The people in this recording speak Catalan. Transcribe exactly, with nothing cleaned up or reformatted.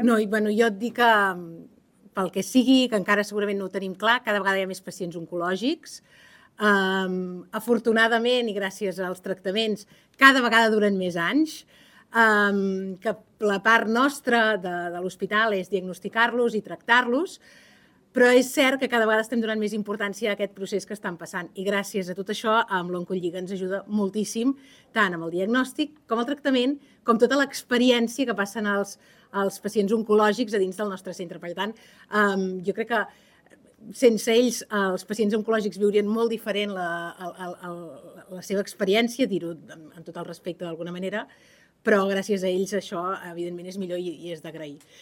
No, i bueno, jo et dic que pel que sigui, que encara segurament no ho tenim clar, cada vegada hi ha més pacients oncològics. Um, afortunadament, i gràcies als tractaments, cada vegada duren més anys, um, que la part nostra de, de l'hospital és diagnosticar-los i tractar-los, però és cert que cada vegada estem donant més importància a aquest procés que estan passant i gràcies a tot això amb l'Oncolliga ens ajuda moltíssim tant amb el diagnòstic com el tractament com tota l'experiència que passen els, els pacients oncològics a dins del nostre centre. Per tant, um, jo crec que sense ells els pacients oncològics viurien molt diferent la, la, la, la seva experiència, dir-ho amb tot el respecte d'alguna manera, però gràcies a ells això evidentment és millor i, i és d'agrair.